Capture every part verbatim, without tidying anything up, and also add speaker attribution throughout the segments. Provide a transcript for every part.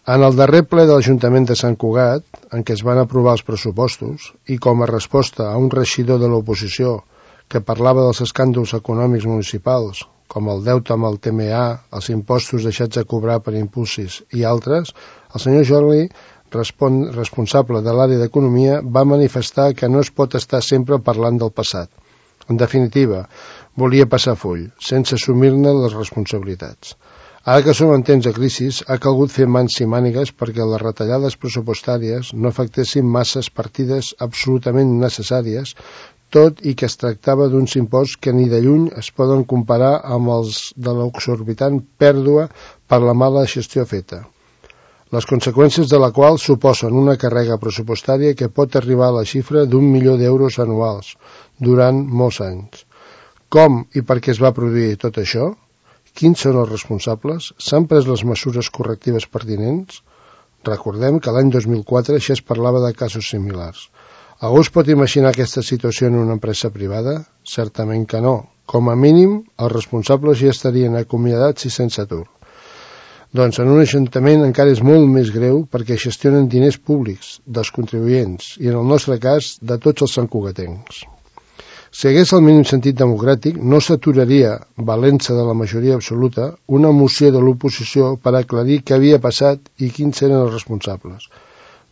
Speaker 1: En el darrer ple de l'Ajuntament de Sant Cugat, en què es van aprovar els pressupostos, i com a resposta a un regidor de l'oposició que parlava dels escàndols econòmics municipals, com el deute amb el T M A, els impostos deixats de cobrar per impulsis i altres, el senyor Jordi, responsable de l'àrea d'Economia, va manifestar que no es pot estar sempre parlant del passat. En definitiva, volia passar full, sense assumir-ne les responsabilitats. Ara que som en temps de crisi, ha calgut fer mans i mànigues perquè les retallades pressupostàries no afectessin masses partides absolutament necessàries, tot i que es tractava d'uns imposts que ni de lluny es poden comparar amb els de l'exorbitant pèrdua per la mala gestió feta, les conseqüències de la qual suposen una càrrega pressupostària que pot arribar a la xifra d'un milió d'euros anuals durant molts anys. Com i per què es va produir tot això? Quins són els responsables? S'han pres les mesures correctives pertinents? Recordem que l'any dos mil quatre ja es parlava de casos similars. Algú es pot imaginar aquesta situació en una empresa privada? Certament que no. Com a mínim, els responsables ja estarien acomiadats i sense atur. Doncs en un ajuntament encara és molt més greu perquè gestionen diners públics, dels contribuents, i en el nostre cas, de tots els santcugatencs. Si hagués el mínim sentit democràtic, no s'aturaria, valent-se de la majoria absoluta, una moció de l'oposició per aclarir què havia passat i quins eren els responsables.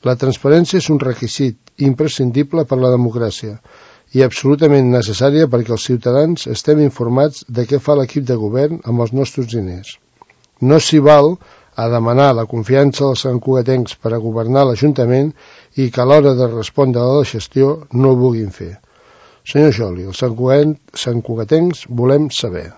Speaker 1: La transparència és un requisit imprescindible per la democràcia i absolutament necessària perquè els ciutadans estem informats de què fa l'equip de govern amb els nostres diners. No s'hi val a demanar la confiança dels santcugatencs per a governar l'Ajuntament i que a l'hora de respondre a la gestió no ho vulguin fer. Senyor Joli, els santcugatencs volem saber.